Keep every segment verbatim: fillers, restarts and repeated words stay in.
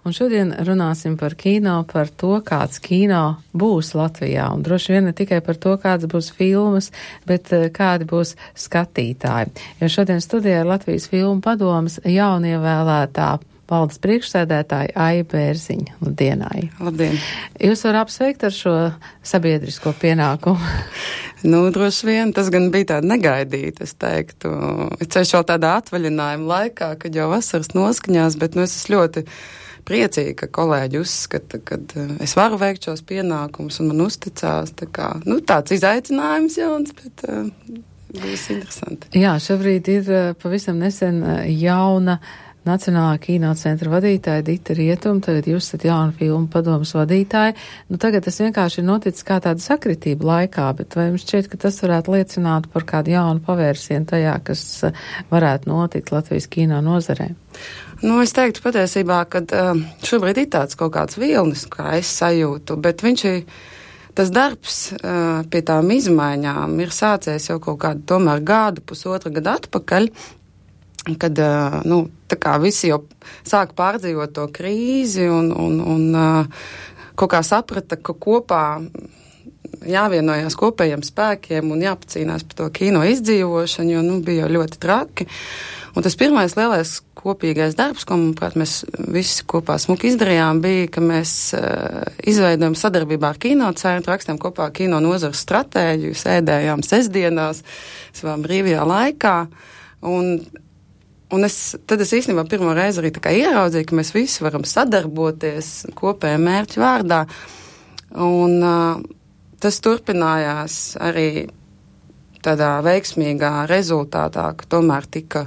Un šodien runāsim par kino, par to, kāds kino būs Latvijā. Un droši vien ne tikai par to, kāds būs filmas, bet kādi būs skatītāji. Jo šodien studijā ir Latvijas filmu padomes jaunievēlētā valdes priekšsēdētāja Aija Bērziņa. Labdien, Aija. Labdien. Jūs varat apsveikt ar šo sabiedrisko pienākumu? Nu, droši vien, tas gan bija tāda negaidīta, es teiktu. Ceļš vēl tādā atvaļinājuma laikā, kad jau vasaras noskaņās, bet nu es esmu ļoti priecīgi, ka kolēģi uzskata, ka es varu veikt šos pienākumus un man uzticās. Tā kā, nu, tāds izaicinājums jauns, bet uh, būs interesanti. Jā, šobrīd ir uh, pavisam nesen uh, jauna Nacionālā kinocentra vadītāja Dita Rietuma, tagad jūs esat jauna filmu padomas vadītāja. Nu, tagad tas vienkārši ir noticis kā tāda sakritība laikā, bet vai jums šķiet, ka tas varētu liecināt par kādu jaunu pavērsienu tajā, kas uh, varētu notikt Latvijas kino nozarē? Nu, es teiktu patiesībā, ka uh, šobrīd ir tāds kaut kāds vilnis, kā es sajūtu, bet viņš ir, tas darbs uh, pie tām izmaiņām ir sācies jau kaut kādu tomēr gadu, pusotra gadu atpakaļ, kad, uh, nu, tā kā visi jau sāk pārdzīvot to krīzi un, un, un uh, kaut kā saprata, ka kopā jāvienojās kopējiem spēkiem un jāpacīnās par to kino izdzīvošanu, jo, nu, bija jau ļoti traki. Un tas pirmais lielais kopīgais darbs, ko, manuprāt, mēs visi kopā smuki izdarījām, bija, ka mēs uh, izveidojam sadarbībā ar kinocentru, rakstām kopā kino nozares stratēģiju, sēdējām sestdienās, savā brīvajā laikā, un, un es, tad es īstenībā pirmo reizi arī tā kā ieraudzīju, ka mēs visi varam sadarboties kopējā mērķa vārdā, un uh, tas turpinājās arī tādā veiksmīgā rezultātā, ka tomēr tika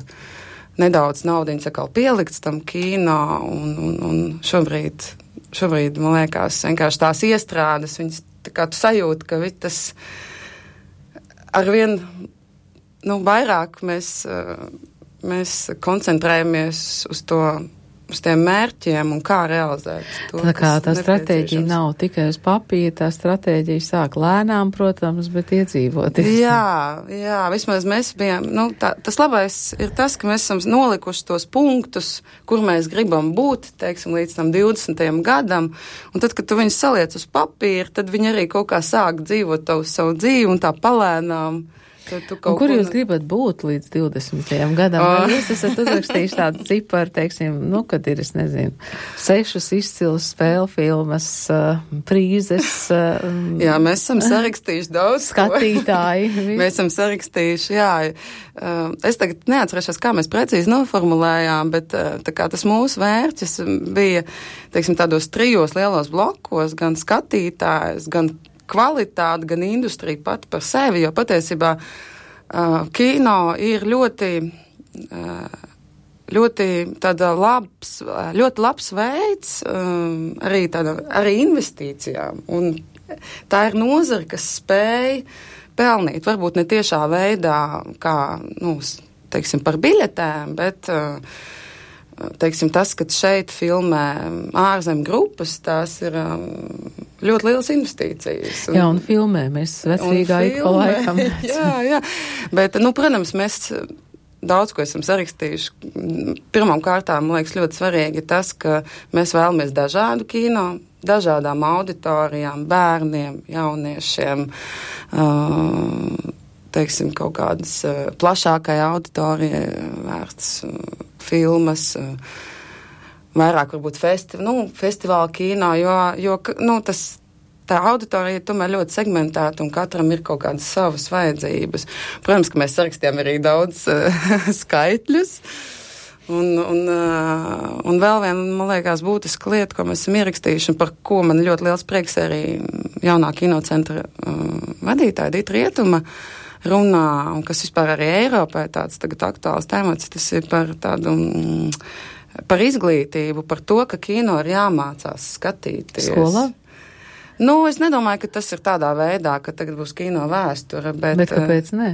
nedaudz naudiņas atkal pielikts tam kino, un, un, un šobrīd, šobrīd, man liekas, vienkārši tās iestrādes, viņas tā kā tu sajūti, ka tas arvien, nu, vairāk mēs, mēs koncentrējamies uz to, uz tiem mērķiem un kā realizēt to. Tā kā tā stratēģija nav tikai uz papīra, tā stratēģija sāk lēnām, protams, bet iedzīvoties. Jā, jā, vismaz mēs bijām, nu, tā, tas labais ir tas, ka mēs esam nolikuši tos punktus, kur mēs gribam būt, teiksim, līdz tam divdesmitajam gadam, un tad, kad tu viņus saliec uz papīra, tad viņi arī kaut kā sāk dzīvot tavu savu dzīvi un tā palēnām. Un kur jūs gribat būt līdz divdesmitajam gadam? Oh. Vai jūs esat uzrakstījuši tādu ciparu, teiksim, nu, kad ir, es nezinu, sešas izcilas spēļu filmas, uh, prīzes. Uh, jā, mēs esam sarakstījuši daudz. Skatītāji. Mēs esam sarakstījuši, jā. Uh, es tagad neatcerēšos, kā mēs precīzi noformulējām, bet uh, tā kā tas mūsu vērķis bija, teiksim, tādos trijos lielos blokos, gan skatītājs, gan kvalitāte, gan industrija pati par sevi, jo patiesībā uh, kino ir ļoti, uh, ļoti tāda labs, ļoti labs veids um, arī, tāda, arī investīcijām. Un tā ir nozara, kas spēj pelnīt, varbūt ne tiešā veidā, kā, nu, teiksim, par biļetēm, bet uh, teiksim, tas, ka šeit filmē ārzem grupas, tās ir um, ļoti lielas investīcijas. Un, jā, un filmē mēs vecrīgā ik pa laikam. jā, jā, bet, nu, protams, mēs daudz ko esam sarakstījuši. Pirmām kārtām, man liekas, ļoti svarīgi ir tas, ka mēs vēlamies dažādu kino, dažādām auditorijām, bērniem, jauniešiem, uh, teiksim, kaut kādas uh, plašākai auditorijai vērts uh, filmas, vairāk varbūt festi, nu, festivāla kino, jo, jo nu, tas, tā auditorija ir tomēr ļoti segmentēta un katram ir kaut kādas savas vajadzības. Protams, ka mēs sarakstījām arī daudz uh, skaitļus. Un, un, uh, un vēl viena, man liekas, būtiska lieta, ko mēs esam ierakstījuši un par ko man ļoti liels prieks arī jaunā kinocentra uh, vadītāja Dita Rietuma runā, un kas vispār arī Eiropā ir tāds tagad aktuāls temats, tas ir par tādu, mm, par izglītību, par to, ka kino ir jāmācās skatīties. Skolā? Nu, es nedomāju, ka tas ir tādā veidā, ka tagad būs kino vēsture, bet... Bet kāpēc ne?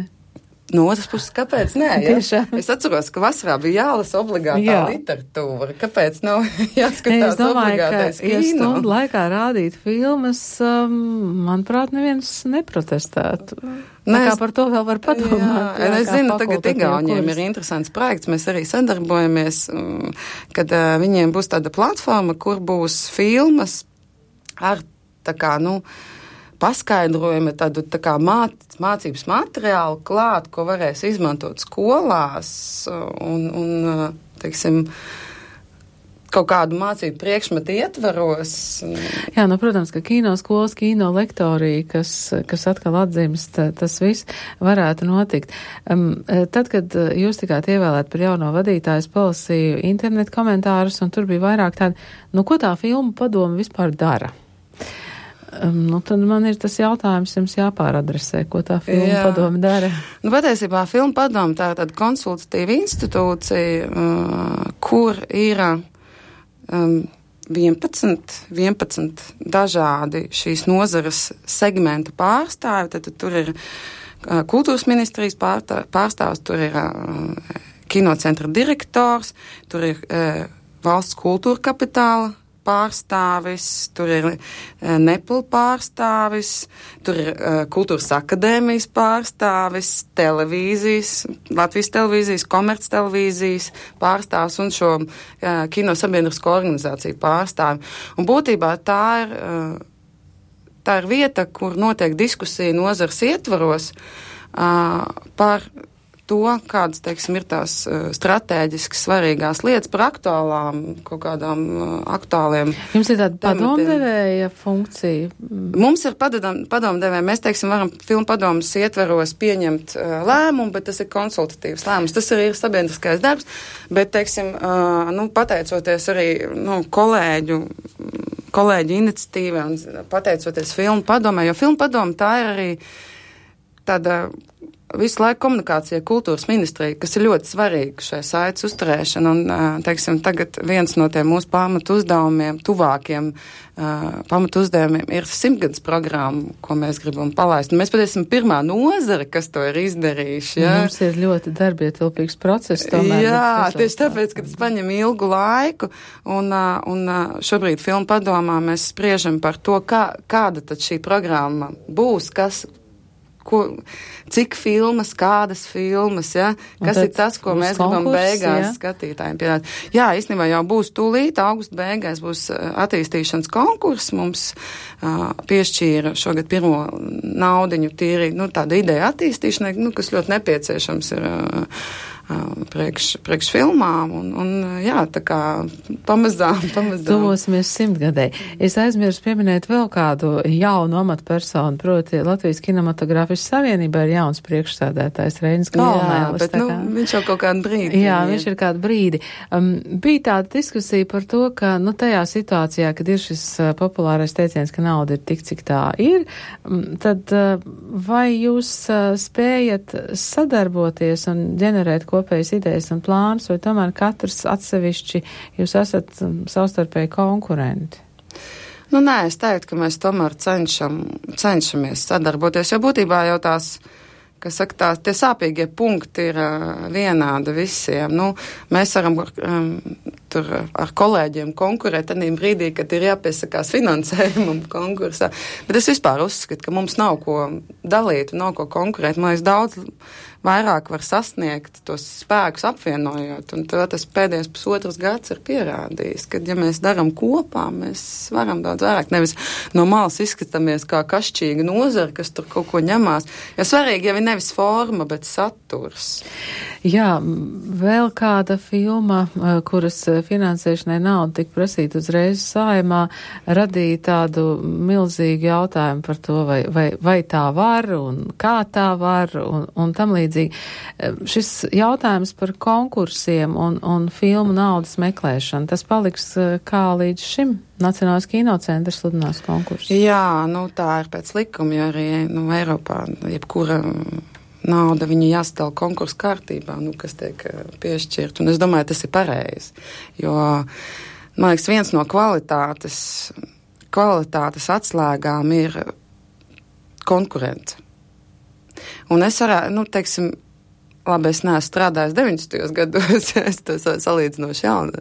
no otras puses, kāpēc nē? Ja? Es atceros, ka vasarā bija jālasa obligātā Jā. literatūra. Kāpēc nav jāskatās es domāju, obligātais ka, kino? Ja stundu laikā rādīt filmas, um, manuprāt, neviens neprotestētu. Nē, kā par to vēl var padomāt. Jā, jā, es zinu, tagad Igauniem ir interesants projekts, mēs arī sadarbojamies, kad uh, viņiem būs tāda platforma, kur būs filmas ar tā kā, nu, paskaidrojumi, tādu tā kā māc, mācības materiālu klāt, ko varēs izmantot skolās un, un teiksim, kaut kādu mācību priekšmetu ietvaros. Jā, nu, protams, ka kino skolas, kino lektorija, kas, kas atkal atdzimst, tas viss varētu notikt. Um, tad, kad jūs tikāt ievēlēt par jauno vadītāju, es palasīju internetu komentārus, un tur bija vairāk tādi, nu, ko tā filmu padoma vispār dara? Um, nu, tad man ir tas jautājums jums jāpāradresē, ko tā filma Jā. padome dara. Nu, patiesībā filma padome tā ir tāda konsultatīva institūcija, uh, kur ir um, vienpadsmit, vienpadsmit dažādi šīs nozares segmentu pārstāvi. Tad, tad tur ir uh, kultūras ministrijas pārtā, pārstāvs, tur ir uh, kinocentra direktors, tur ir uh, valsts kultūra kapitāla pārstāvis, tur ir uh, Nepal pārstāvis, tur ir uh, kultūras akadēmijas pārstāvis, televīzijas, Latvijas televīzijas, komerc televīzijas pārstāvis un šo uh, kino sabiedrisko organizāciju pārstāvi. Un būtībā tā ir, uh, tā ir vieta, kur notiek diskusija nozars ietvaros uh, par to, kādas, teiksim, ir tās uh, stratēģiski svarīgās lietas par aktuālām, kaut kādām uh, aktuāliem. Jums ir tāda padomdevēja funkcija? Mums ir padomdevēja. Mēs, teiksim, varam filmu padomas ietveros pieņemt uh, lēmumu, bet tas ir konsultatīvs lēmums. Tas arī ir sabiedriskais darbs, bet, teiksim, uh, nu, pateicoties arī, nu, kolēģu, kolēģu iniciatīvai un pateicoties filmu padomai, jo filmu padoma tā ir arī tāda visu laiku komunikācija kultūras ministrija, kas ir ļoti svarīga šai saites uzturēšana, un, teiksim, tagad viens no tiem mūsu pamatu uzdevumiem, tuvākiem uh, pamatu uzdevumiem ir simtgadus programma, ko mēs gribam palaist. Un mēs pat esam pirmā nozara, kas to ir izdarījuši. Ja? Mums ir ļoti darbietilpīgs process tomēr. Jā, tieši tāpēc, ka tas paņem ilgu laiku, un, un šobrīd filmu padomā mēs spriežam par to, kā, kāda tad šī programma būs, kas Ko, cik filmas, kādas filmas, ja? Kas ir tas, ko mēs gribam beigās ja? skatītājiem piedāt. Jā, īstenībā jau būs tūlīt, augusta beigās būs attīstīšanas konkurss, mums uh, piešķīra šogad pirmo naudiņu tīri, nu, tāda ideja attīstīšanai, nu, kas ļoti nepieciešams ir uh, priekš, priekš filmām, un, un jā, tā kā pamazām, pamazām. Tuvosimies simtgadē. Es aizmirsu pieminēt vēl kādu jaunu amatpersonu, proti Latvijas kinematogrāfijas savienībā ir jauns priekšsēdētājs Reinis Kalnēlis. Jā, bet, nu, kā... viņš jau kaut kādu brīdi. Jā, viņš ir kādu brīdi. Um, bija tāda diskusija par to, ka, nu, tajā situācijā, kad ir šis uh, populārais teiciens, ka nauda ir tik, cik tā ir, um, tad uh, vai jūs uh, spējat sadarboties un ģenerēt ko kopējas idejas un plānus, vai tomēr katrs atsevišķi jūs esat savstarpēji konkurenti? Nu, nē, es teiktu, ka mēs tomēr cenšam, cenšamies sadarboties, jo būtībā jau tās, kas saka, tā, tie sāpīgie punkti ir uh, vienādi visiem. Nu, mēs varam um, tur ar kolēģiem konkurēt tādā brīdī, kad ir jāpiesakās finansējumam konkursā. Bet es vispār uzskatu, ka mums nav ko dalīt, nav ko konkurēt. Man liekas, daudz vairāk var sasniegt tos spēkus apvienojot, un to tas pēdējais pusotras gads ir pierādījis, ka, ja mēs darām kopā, mēs varam daudz vairāk. Nevis no malas izskatāmies kā kašķīga nozara, kas tur kaut ko ņemās. Jo svarīgi jau ir nevis forma, bet saturs. Jā, vēl kāda filma, kuras finansēšanai nauda tika prasīta uzreiz Saeimā, radīja tādu milzīgu jautājumu par to, vai, vai, vai tā var un kā tā var un, un tam līdzīgi. Šis jautājums par konkursiem un, un filmu naudas meklēšanu, tas paliks kā līdz šim? Nacionālais kinocentrs sludinās konkursu. Jā, nu tā ir pēc likuma, jo arī nu, Eiropā jebkura nauda viņa jāstāv konkursu kārtībā, nu, kas tiek piešķirt. Un es domāju, tas ir pareizi. Jo, man liekas, viens no kvalitātes, kvalitātes atslēgām ir konkurence. Un es varētu, nu, teiksim, labi, es neesmu strādājis deviņdesmitajos gados, es tas salīdzinoši jaun,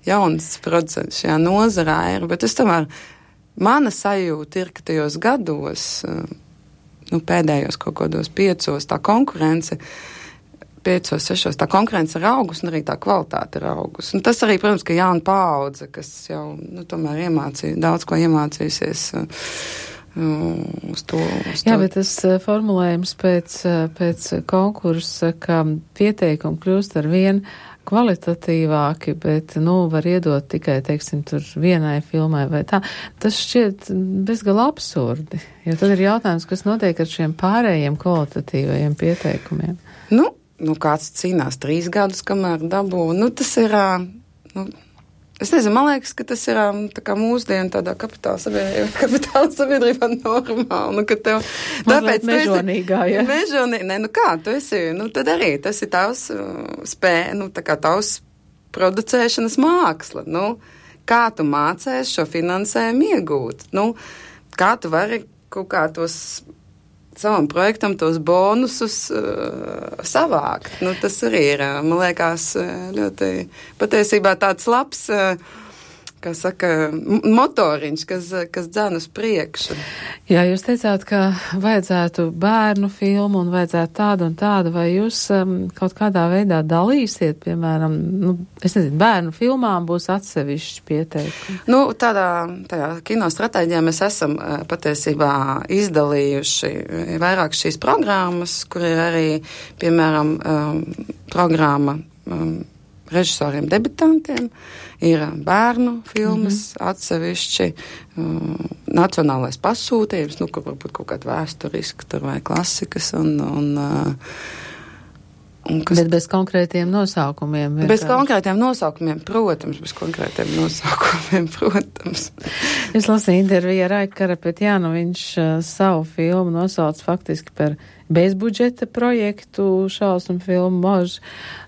jauns producents šajā nozarā ir, bet es tomēr, mana sajūta ir, ka tajos gados, nu, pēdējos kaut kādos piecos, tā konkurence, piecos, sešos, tā konkurence ir augus, un arī tā kvalitāte ir augus. Un tas arī, protams, ka jauna paudze, kas jau, nu, tomēr iemācīja, daudz ko iemācījusies uz to. Uz to. Jā, bet tas formulējums pēc, pēc konkursa, ka pieteikumi kļūst ar vien kvalitatīvāki, bet, nu, var iedot tikai, teiksim, tur vienai filmai vai tā. Tas šķiet bezgalā absurdi, jo tad ir jautājums, kas notiek ar šiem pārējiem kvalitatīvajiem pieteikumiem. Nu, nu kāds cīnās trīs gadus, kamēr dabū. Nu, tas ir, nu, es nezinu, man liekas, ka tas ir tā kā mūsdienu tādā kapitāla sabiedrībā, kapitāla sabiedrībā normāli, nu, ka tev... Tāpēc mežonīgā, ja? Mežonīgā, ne, nu kā, tu esi, nu, tad arī tas ir tavs uh, spēj, nu, tā kā tavs producēšanas māksla, nu, kā tu mācēs šo finansējumu iegūt, nu, kā tu vari kaut kā tos savam projektam tos bonusus uh, savākt. Nu, tas arī ir, man liekas, ļoti patiesībā tāds labs, uh, kā saka, motoriņš, kas, kas dzēn uz priekšu. Jā, jūs teicāt, ka vajadzētu bērnu filmu un vajadzētu tādu un tādu, vai jūs um, kaut kādā veidā dalīsiet, piemēram, nu, es nezinu, bērnu filmām būs atsevišķi pieteikumi? Nu, tādā, tajā kino stratēģijā mēs esam uh, patiesībā izdalījuši vairāk šīs programmas, kur ir arī, piemēram, um, programma um, režisoriem debitantiem, ir bērnu filmas, mm-hmm. atsevišķi um, nacionālais pasūtījums, nu, kur varbūt kaut kāda vēsturiska tur vai klasikas un, un, uh, un kas... Bet bez konkrētiem nosaukumiem. Bez konkrētiem nosaukumiem, protams, bez konkrētiem nosaukumiem, protams. Es lasīju interviju ar Aiku Karapetjānu, viņš uh, savu filmu nosauc faktiski par bezbudžeta projektu, šausmu filmu Mož.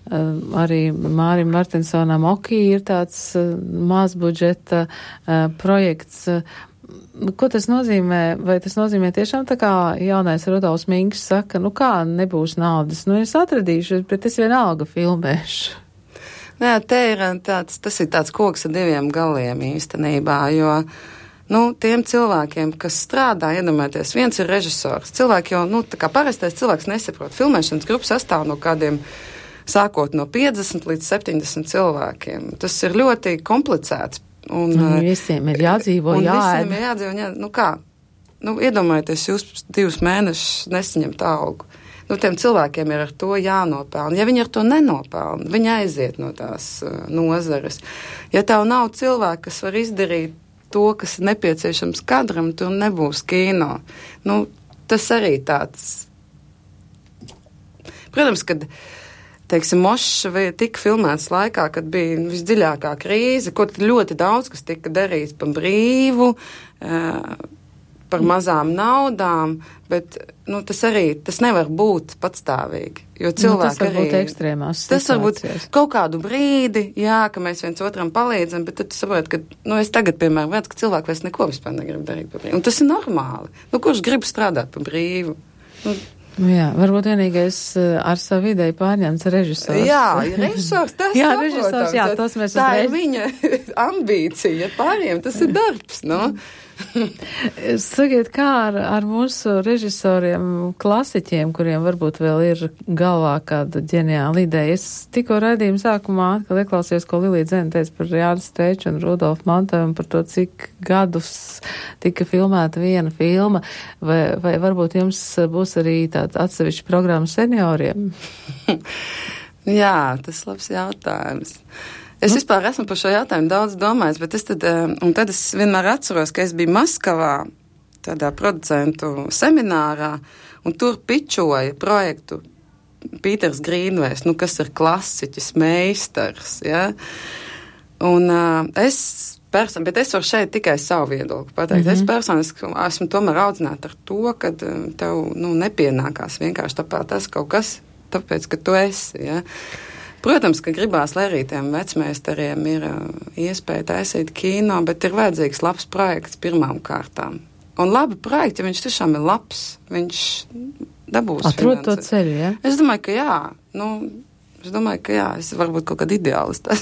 Uh, arī Mārim Martinsonam Okī ir tāds uh, mazbudžeta uh, projekts. Uh, ko tas nozīmē? Vai tas nozīmē tiešām tā kā jaunais Rudolfs Minks saka, nu kā nebūs naudas? Nu es atradīšu, bet es vienalga filmēšu. Jā, te ir tāds, tas ir tāds koks ar diviem galiem īstenībā, jo nu, tiem cilvēkiem, kas strādā, iedomājieties, viens ir režisors. Cilvēki jau, nu, tā kā parastais cilvēks nesaprot. Filmēšanas grupa sastāv no kādiem, sākot no piecdesmit līdz septiņdesmit cilvēkiem. Tas ir ļoti komplicēts. Un, un visiem ir jādzīvo, jāēd. Un visiem ir jādzīvo, jāēd. Nu kā, nu, iedomājieties, jūs divus mēnešus nesaņemt algu. Nu, tiem cilvēkiem ir ar to jānopelna. Ja viņi ar to nenopelna, viņi aiziet no tās uh, nozares. Ja tev nav cilvēki, kas var izdarīt to, kas ir nepieciešams kadram, tur nebūs kino. Nu, tas arī tāds. Protams, kad, teiksim, Mošs tika filmēts laikā, kad bija visdziļākā krīze, kur ļoti daudz, kas tika darīts par brīvu, par mazām naudām, bet, nu, tas arī, tas nevar būt patstāvīgi, jo cilvēki nu, tas var arī... būt ekstrēmās situācijas. Tas var būt kaut kādu brīdi, jā, ka mēs viens otram palīdzam, bet tad tu saproti, ka, nu, es tagad, piemēram, redzu, ka cilvēki vairs neko vispār negrib darīt par brīvu. Un tas ir normāli. Nu, kurš grib strādāt par brīvu? Nu, jā, varbūt vienīgais ar savu ideju pārņemts režisors. Jā, režisors, tas jā, režisors, jā, tas mēs tā ir viņa ambīcija, pāriem tas ir darbs, no? Sakiet, kā ar, ar mūsu režisoriem, klasiķiem, kuriem varbūt vēl ir galvā kāda ģeniāla ideja. Es tikko raidījuma sākumā atkal ieklausījos, ko Lilija Dzene teica par Jānis Streiču un Rudolfu Mantojumu, par to, cik gadus tika filmēta viena filma, vai, vai varbūt jums būs arī tāda atsevišķa programma senioriem? Jā, tas labs jautājums. Es vispār esmu par šo jautājumu daudz domājis, bet es tad, un tad es vienmēr atceros, ka es biju Maskavā, tādā producentu seminārā, un tur pičoja projektu Pīters Grīnvejs, nu, kas ir klasiķis, meistars, ja? Un uh, es, person, bet es varu šeit tikai savu viedokli pateikt. Mm-hmm. Es personiski esmu tomēr audzināta ar to, ka tev, nu, nepienākās vienkārši tāpēc tas kaut kas, tāpēc, ka tu esi, ja? Protams, ka gribās, lai arī tiem vecmeistariem ir iespēja taisīt kino, bet ir vajadzīgs labs projekts pirmām kārtām. Un labi projekti, ja viņš tiešām ir labs, viņš dabūs Atrod to ceļu, ja? Es domāju, ka jā. nu, es domāju, ka jā, es varbūt kaut kāda ideālista.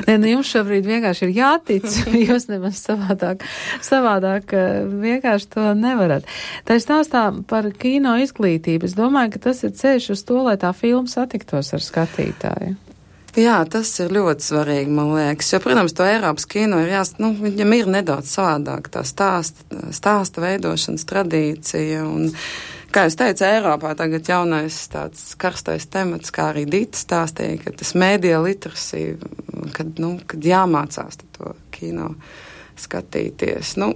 Nē, nu jums šobrīd vienkārši ir jātic, jūs nemaz savādāk, savādāk vienkārši to nevarat. Tā ir stāstā par kino izglītību. Es domāju, ka tas ir ceļš uz to, lai tā filma satiktos ar skatītāju. Jā, tas ir ļoti svarīgi, man liekas, jo, protams, to Eiropas kino ir jāst, nu, viņam ir nedaudz savādāk tā stāsta, stāsta veidošanas tradīcija un, kā es teicu, Eiropā tagad jaunais tāds karstais temats, kā arī Dita stāstīja, ka tas mēdija literasija, kad, nu, kad jāmācās to kino skatīties. Nu,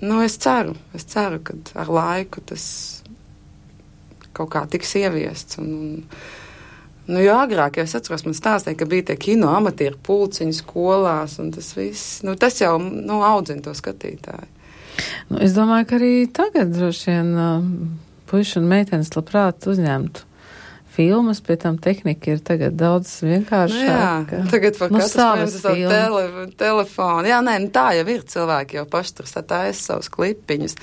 nu, es ceru, es ceru, ka ar laiku tas kaut kā tiks ieviests un, un Nu, jo agrāk, ja es atceros, man stāstīja, ka bija tie kino amatieru pulciņi skolās, un tas viss, nu, tas jau, nu, audzina to skatītāju. Nu, es domāju, ka arī tagad droši vien uh, puiši un meitenes labprāt uzņemtu filmas, pie tam tehnika ir tagad daudz vienkāršāka. Nu, jā, tagad var nu, katrs savu tele, telefonu. Jā, nē, nu, tā jau ir, cilvēki jau paši tur sataisa savus klipiņus.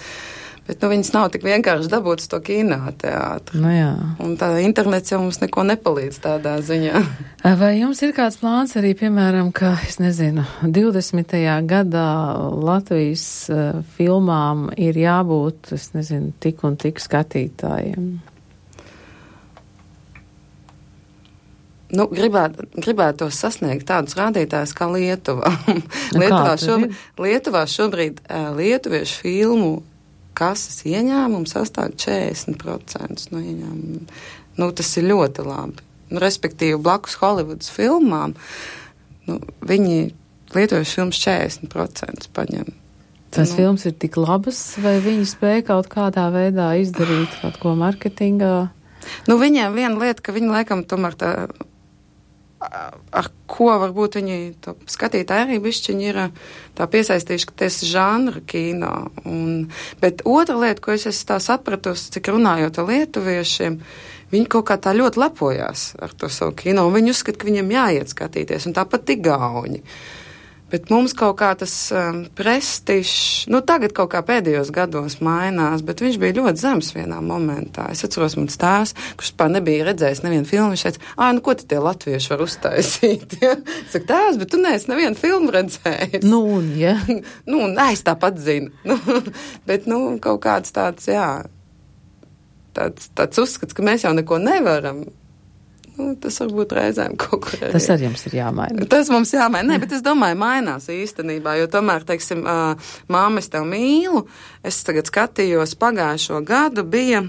Bet, nu, viņas nav tik vienkārši dabūt uz to kinoteātru. Nu, jā. Un tā internets jau mums neko nepalīdz tādā ziņā. Vai jums ir kāds plāns arī, piemēram, ka, es nezinu, divdesmitajā gadā Latvijas uh, filmām ir jābūt, es nezinu, tik un tik skatītājiem? Nu, gribētu, gribētu sasniegt tādus rādītājus kā Lietuvā. Lietuvā, šobrīd, Lietuvā šobrīd uh, lietuviešu filmu kases ieņēmums sastāv četrdesmit procenti no ieņēmumiem. Nu, tas ir ļoti labi. Nu, respektīvi, blakus Holivudas filmām, nu, viņi lietojuši filmas četrdesmit procenti paņem. Tas nu, filmas ir tik labas, vai viņi spēja kaut kādā veidā izdarīt kaut ko marketingā? Nu, viņiem viena lieta, ka viņi laikam tomēr tā, ar ko varbūt viņi to skatītāji arī bišķiņi ir tā piesaistījuši, ka tas ir žanra kino. Un, bet otra lieta, ko es esmu tā sapratusi, cik runājot ar lietuviešiem, viņi kaut kā tā ļoti lepojās ar to savu kino, un viņi uzskata, ka viņiem jāiet skatīties, un tāpat igauņi. Bet mums kaut kā tas um, prestižs, nu tagad kaut kā pēdējos gados mainās, bet viņš bija ļoti zems vienā momentā. Es atceros, man tēvs, kurš pār nebija redzējis nevienu filmu, viņš teica, ā, nu ko te tie latvieši var uztaisīt? Ja? Es saku, tēvs, bet tu neesi nevienu filmu redzējis. Nu, ja. nu, nē, es tāpat zinu. Nu, bet, nu, kaut kāds tāds, jā, tāds, tāds uzskats, ka mēs jau neko nevaram. Nu, tas varbūt reizēm kaut kur arī. Tas arī jums ir jāmaina. Tas mums jāmaina. Nē, bet es domāju, mainās īstenībā, jo tomēr, teiksim, uh, māma, es tev mīlu, es tagad skatījos pagājušo gadu, bija,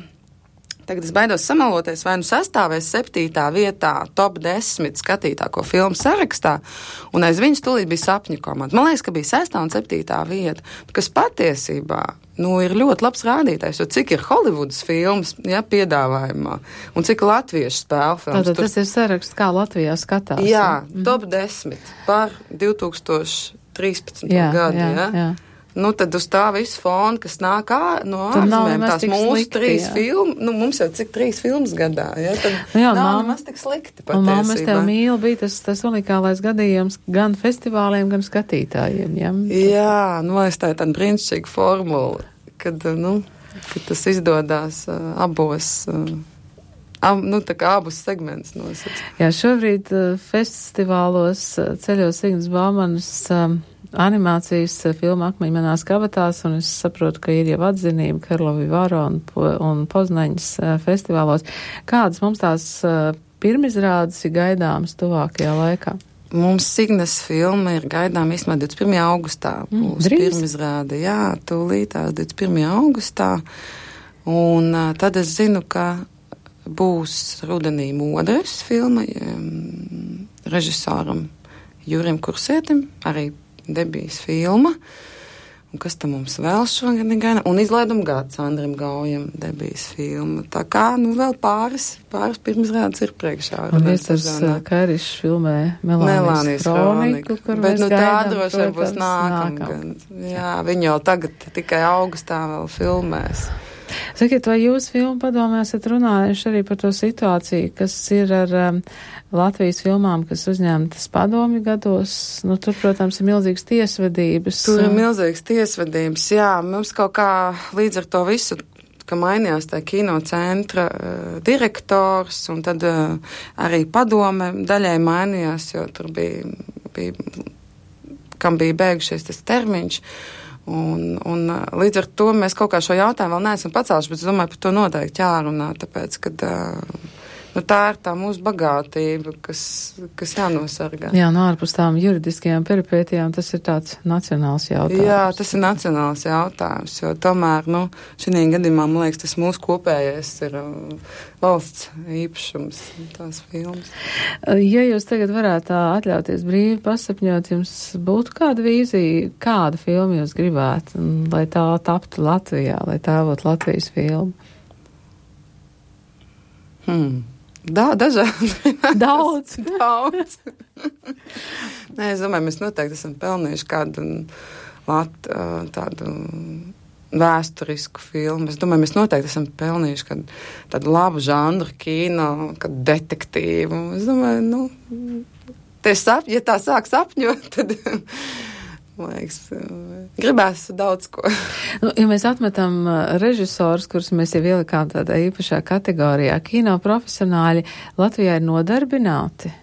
tagad es baidos samaloties, vai nu sastāvēs septītā vietā top desmit skatītāko filmu sarakstā, un aiz viņas tūlīt bija Sapņu komanda. Man liekas, ka bija sestā un septītā vieta, kas patiesībā, nu, ir ļoti labs rādītājs, jo cik ir Holivudas filmas, ja, piedāvājumā, un cik latviešu spēle filmas. Tātad tas ir saraksts, kā Latvijā skatās. Jā, ja? Top desmit par divi tūkstoši trīspadsmito gadu, jā, ja? Jā. Nu, tad uz tā visu fonu, kas nāk ā, no ārzemēm, tās mūsu slikti, trīs filmas, nu, mums jau cik trīs filmas gadā, ja, tad nu, jā, nav nemaz tik slikti patiesībā. Un Māma, es tev mīlu, bija tas, tas unikālais gadījums gan festivāliem, gan skatītājiem, ja? Jā, nu, es tā ir tāda brīnišķīga formula, kad, nu, kad tas izdodās uh, abos, uh, ab, nu, tā kā abus segmentus nosacīt. Jā, šobrīd uh, festivālos uh, ceļos Ignas Baumanas uh, animācijas filma Akmeņi manās kabatās, un es saprotu, ka ir jau atzinība Karlovi Varo un, un Poznaņas festivālos. Kādas mums tās pirmizrādes ir gaidāmas tuvākajā laikā? Mums Signes filma ir gaidām īstenībā divdesmit pirmajā augustā. Būs mm, pirmizrāde, jā, tūlītās divdesmit pirmajā augustā. Un uh, tad es zinu, ka būs rudenī Modres filma um, režisoram Jurim Kursietim, arī debijas filma, un kas tam mums vēl šogad ir gaida, un izlaiduma gads Andrim Gaujam debijas filma. Tā kā, nu, vēl pāris, pāris pirmizrādes ir priekšā. Un Viesturs Karišs filmē Melānijas kroniku, kur bet, mēs nu, gaidām, tā droši vien būs nākam. nākam. Jā, viņi jau tagad tikai augustā vēl filmēs. Sakiet, vai jūs filmu padomē esat runājuši arī par to situāciju, kas ir ar um, Latvijas filmām, kas uzņemtas padomju gados? Nu, tur, protams, ir milzīgas tiesvedības. Tur ir milzīgas tiesvedības, jā. Mums kaut kā līdz ar to visu ka mainījās tā kino centra uh, direktors, un tad uh, arī padome daļai mainījās, jo tur bija, bija kam bija beigušies tas termiņš. Un, un līdz ar to mēs kaut kā šo jautājumu vēl neesam pacēluši, bet es domāju, par to noteikti jārunā, tāpēc, kad uh, nu, tā ir tā mūsu bagātība, kas, kas jānosargā. Jā, no ārpus tām juridiskajām peripētijām tas ir tāds nacionāls jautājums. Jā, tas ir nacionāls jautājums, jo tomēr, nu, šī gadījumā, man liekas, tas mūsu kopējais ir uh, valsts īpašums, tās filmas. Ja jūs tagad varētu atļauties brīvi pasapņot, jums būtu kāda vīzija, kādu filmu jūs gribētu, lai tā taptu Latvijā, lai tā būtu Latvijas filma? Hmm. Da, dažādi. Daudz. Daudz. Nē, es domāju, mēs noteikti esam pelnījuši kādu lat, tādu vēsturisku filmu. Es domāju, mēs noteikti esam pelnījuši kādu tādu labu žanru kino, kādu detektīvu. Es domāju, nu, tie sap, ja tā sāk sapņot, tad... Liekas, gribēs daudz ko. Nu, ja mēs atmetam režisors, kurus mēs jau ielikām tādā īpašā kategorijā, kino profesionāļi Latvijā ir nodarbināti?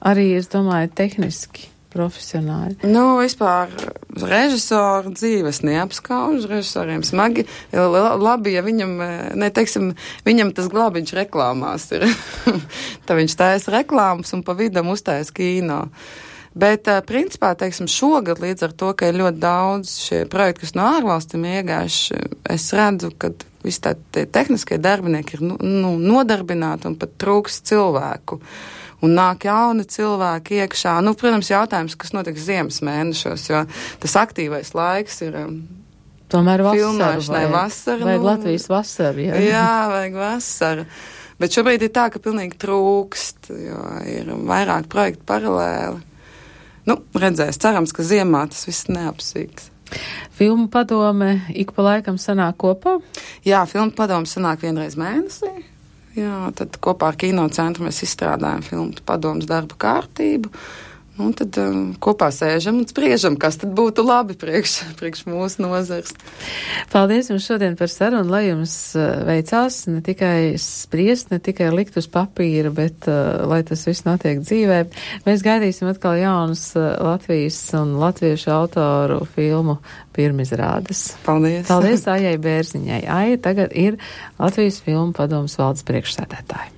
Arī, es domāju, tehniski profesionāļi. Nu, vispār režisoru dzīves neapskauž, režisoriem smagi. Labi, ja viņam, ne, teiksim, viņam tas glābiņš reklāmās ir. Tā viņš taisa reklāmas un pa vidam uztaisa kino. Bet, principā, teiksim, šogad līdz ar to, ka ir ļoti daudz šie projekti, kas no ārvalstīm iegājuši, es redzu, ka visi tā tehniskie darbinieki ir nu, nu, nodarbināti un pat trūks cilvēku. Un nāk jauni cilvēki iekšā. Nu, protams, jautājums, kas notiks ziemas mēnešos, jo tas aktīvais laiks ir tomēr filmēšanai vasara. Vajag nu, Latvijas vasaru, jā. Jā, vajag vasaru. Bet šobrīd ir tā, ka pilnīgi trūkst, jo ir vairāk projektu paralēli. Nu, redzēs, cerams, ka ziemā tas viss neapsīks. Filmu padome ik pa laikam sanāk kopā? Jā, filmu padome sanāk vienreiz mēnesī. Jā, tad kopā ar kino centru mēs izstrādājam filmu padomas darba kārtību. Un tad um, kopā sēžam un spriežam, kas tad būtu labi priekš, priekš mūsu nozars. Paldies jums šodien par sarunu, lai jums veicās ne tikai spriest, ne tikai likt uz papīra, bet uh, lai tas viss notiek dzīvē. Mēs gaidīsim atkal jaunas uh, Latvijas un latviešu autoru filmu pirmizrādes. Paldies. Paldies Aijai Bērziņai. Aija tagad ir Latvijas filmu padomas valdes priekšsēdētāja.